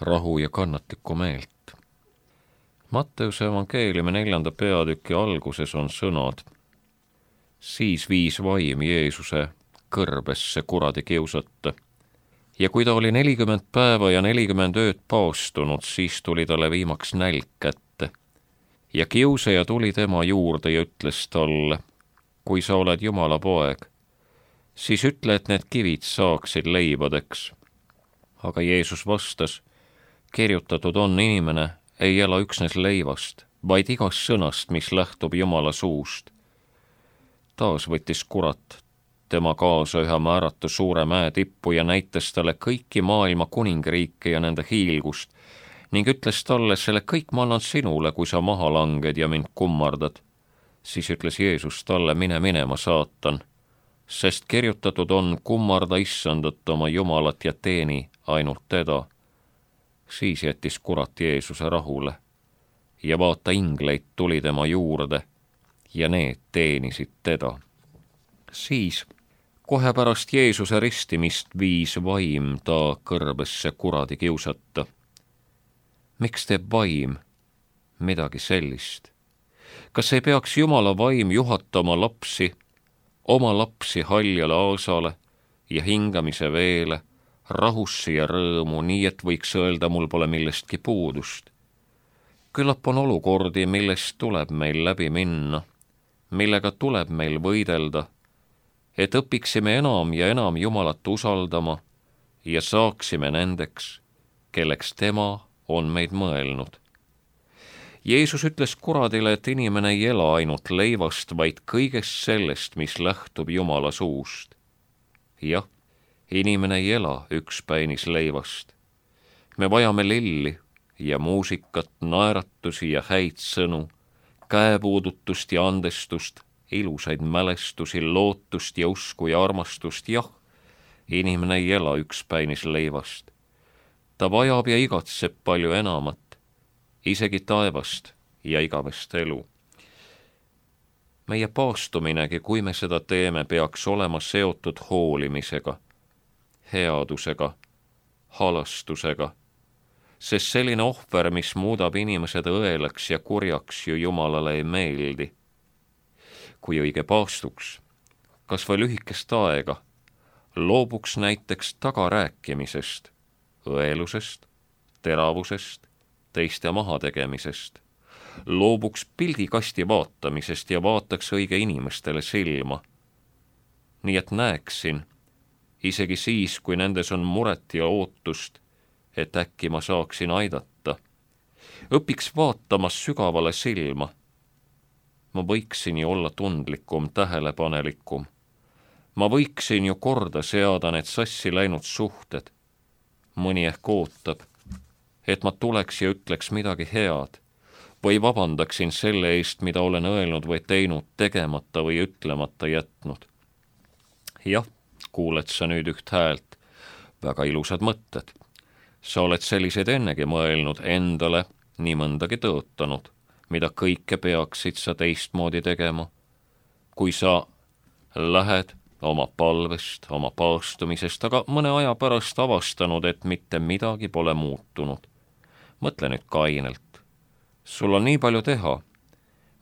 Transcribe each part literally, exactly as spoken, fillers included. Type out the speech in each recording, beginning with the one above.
rahu ja kannatlikku meelt. Matteuse evangeeliumi neljanda peatüki alguses on sõnad: siis viis vaim Jeesuse kõrbesse kuradi kiusata. Ja kui ta oli nelikümmend päeva ja nelikümmend ööd paastunud, siis tuli talle viimaks nälg kätte. Ja kiusaja tuli tema juurde ja ütles talle: kui sa oled Jumala poeg, siis ütle, et need kivid saaksid leibadeks. Aga Jeesus vastas: kirjutatud on, inimene ei ela üksnes leivast, vaid igast sõnast, mis lähtub Jumala suust. Taas võttis kurat tema kaasa ühe määratu suure mäe tippu ja näitas talle kõiki maailma kuningriike ja nende hiilgust ning ütles talle: selle kõik ma annan sinule, kui sa maha langed ja mind kummardad. Siis ütles Jeesus talle: mine minema, saatan, sest kirjutatud on, kummarda issandat oma Jumalat ja teeni ainult teda. Siis jättis kurat Jeesuse rahule ja vaata, ingleid tuli tema juurde ja need teenisid teda. Siis kohe pärast Jeesuse ristimist viis vaim ta kõrbesse kuradi kiusata. Miks teeb vaim midagi sellist? Kas ei peaks Jumala vaim juhatama lapsi, oma lapsi haljale aasale ja hingamise veele, rahusse ja rõõmu, nii et võiks öelda, mul pole millestki puudust? Küllap on olukordi, millest tuleb meil läbi minna, millega tuleb meil võidelda, et õpiksime enam ja enam Jumalat usaldama ja saaksime nendeks, kelleks tema on meid mõelnud. Jeesus ütles kuradile, et inimene ei ela ainult leivast, vaid kõigest sellest, mis lähtub Jumala suust. Jah, inimene ei ela ükspäinis leivast. Me vajame lilli ja muusikat, naeratusi ja häid sõnu, käepuudutust ja andestust, ilusaid mälestusi, lootust ja usku ja armastust. Jah, inimene ei ela ükspäinis leivast. Ta vajab ja igatseb palju enamat, isegi taevast ja igavest elu. Meie paastuminegi, kui me seda teeme, peaks olema seotud hoolimisega, headusega, halastusega, sest selline ohver, mis muudab inimesed õelaks ja kurjaks, ju Jumalale ei meeldi. Kui õige paastuks, kas või lühikest aega, loobuks näiteks tagarääkimisest, õelusest, teravusest, teiste mahategemisest, loobuks pildikasti vaatamisest ja vaataks õige inimestele silma. Nii et näeksin, isegi siis, kui nendes on muret ja ootust, et äkki ma saaksin aidata. Õpiks vaatama sügavale silma. Ma võiksin ju olla tundlikum, tähelepanelikum. Ma võiksin ju korda seada need sassi läinud suhted. Mõni ehk ootab, et ma tuleks ja ütleks midagi head või vabandaksin selle eest, mida olen öelnud või teinud, tegemata või ütlemata jätnud. Jah, kuuled sa nüüd üht häält, väga ilusad mõtted. Sa oled sellised ennegi mõelnud, endale nii mõndagi tõotanud, mida kõike peaksid sa teistmoodi tegema. Kui sa lähed oma palvest, oma paastumisest, aga mõne aja pärast avastanud, et mitte midagi pole muutunud. Mõtle nüüd kainelt. Sul on nii palju teha,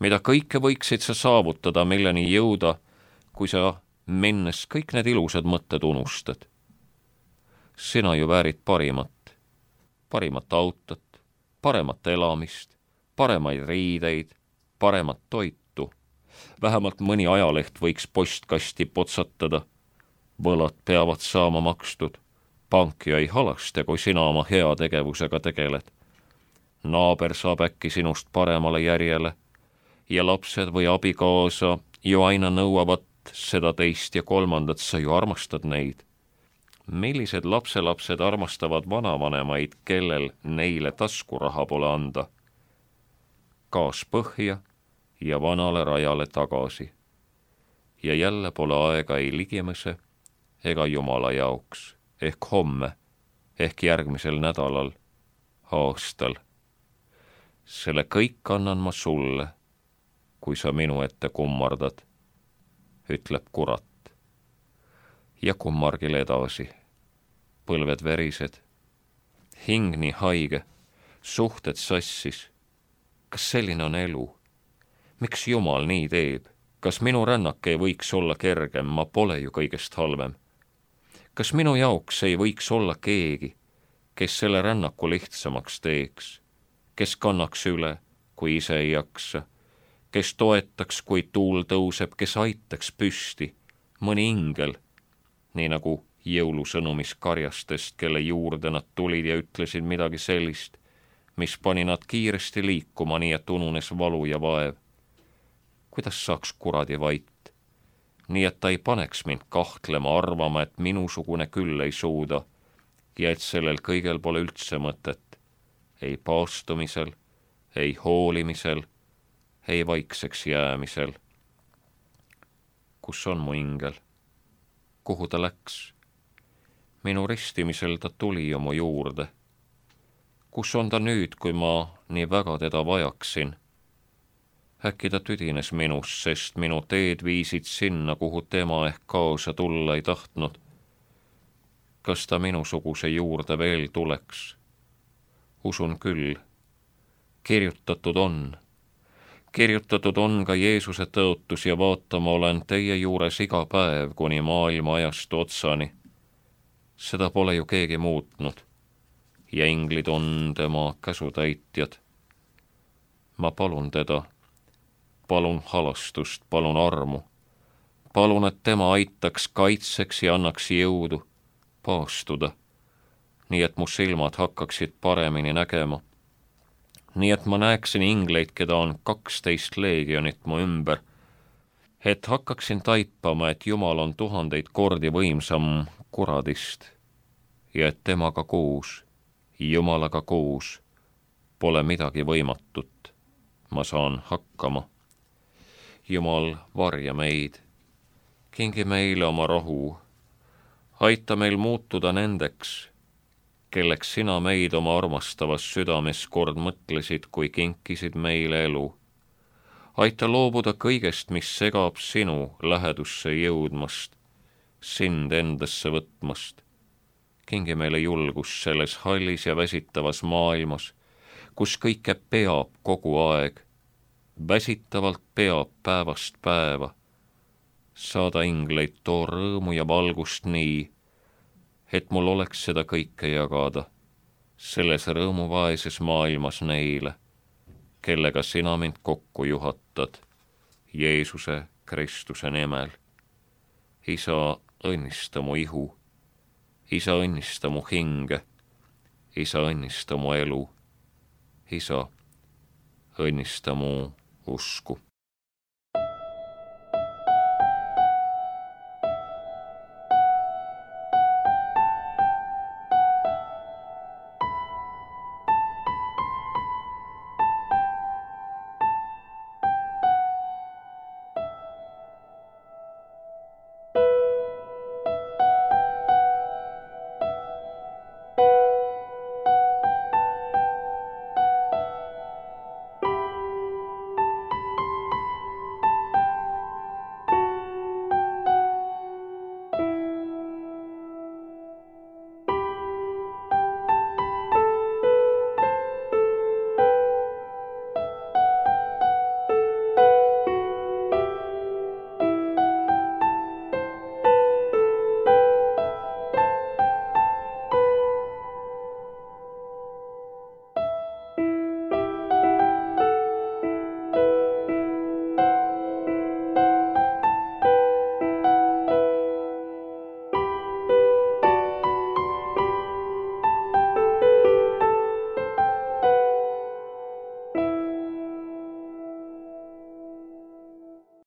mida kõike võiksid sa saavutada, milleni jõuda, kui sa minnes kõik need ilusad mõtted unustad. Sina ju väärid parimat, parimat autot, paremat elamist, paremaid riideid, paremat toitu. Vähemalt mõni ajaleht võiks postkasti potsatada. Võlad peavad saama makstud. Pank ju ei halaste, kui sina oma heategevusega tegeled. Naaber saab äkki sinust paremale järjele ja lapsed või abikaasa ju aina nõuavad seda teist ja kolmandat, sa ju armastad neid. Millised lapselapsed armastavad vanavanemaid, kellel neile taskuraha pole anda? Gaas põhja ja vanale rajale tagasi. Ja jälle pole aega ei ligimese ega Jumala jaoks, ehk homme, ehk järgmisel nädalal, aastal. Selle kõik annan ma sulle, kui sa minu ette kummardad, ütleb kurat. Ja kummargil edasi, põlved verised, hing nii haige, suhted sassis. Kas selline on elu? Miks Jumal nii teeb? Kas minu rännak ei võiks olla kergem, ma pole ju kõigest halvem? Kas minu jaoks ei võiks olla keegi, kes selle rännaku lihtsamaks teeks, kes kannaks üle, kui ise ei jaksa, kes toetaks, kui tuul tõuseb, kes aitaks püsti, mõni ingel, nii nagu jõulusõnumis karjastest, kelle juurde nad tulid ja ütlesid midagi sellist, mis pani nad kiiresti liikuma, nii et ununes valu ja vaev. Kuidas saaks kuradi vait, nii et ta ei paneks mind kahtlema, arvama, et minusugune küll ei suuda ja et sellel kõigel pole üldse mõtet, ei paastumisel, ei hoolimisel, ei vaikseks jäämisel. Kus on mu ingel? Kuhu ta läks? Minu ristimisel ta tuli ju mu juurde. Kus on ta nüüd, kui ma nii väga teda vajaksin? Äkki ta tüdines minust, sest minu teed viisid sinna, kuhu tema ehk kaasa tulla ei tahtnud. Kas ta minusuguse juurde veel tuleks? Usun küll. Kirjutatud on. Kirjutatud on ka Jeesuse tõotus ja vaatama olen teie juures iga päev kuni maailma ajastu otsani. Seda pole ju keegi muutnud ja inglid on tema käsutäitjad. Ma palun teda, palun halastust, palun armu, palun, et tema aitaks kaitseks ja annaks jõudu paastuda, nii et mu silmad hakkaksid paremini nägema. Nii et ma näeksin ingleid, keda on kaksteist leegionit mu ümber, et hakkaksin taipama, et Jumal on tuhandeid kordi võimsam kuradist ja et temaga koos, Jumalaga koos, pole midagi võimatut. Ma saan hakkama. Jumal, varja meid, kingi meile oma rohu, aita meil muutuda nendeks, kelleks sina meid oma armastavas südames kord mõtlesid, kui kinkisid meile elu. Aita loobuda kõigest, mis segab sinu lähedusse jõudmast, sind endasse võtmast. Kingi meile julgus selles hallis ja väsitavas maailmas, kus kõike peab kogu aeg, väsitavalt peab päevast päeva. Saada ingleid too rõõmu ja valgust nii, et mul oleks seda kõike jagada, selles rõõmuvaeses maailmas neile, kellega sina mind kokku juhatad, Jeesuse Kristuse nimel. Isa, õnnista mu ihu, Isa, õnnista mu hinge, Isa, õnnista mu elu, Isa, õnnista mu usku.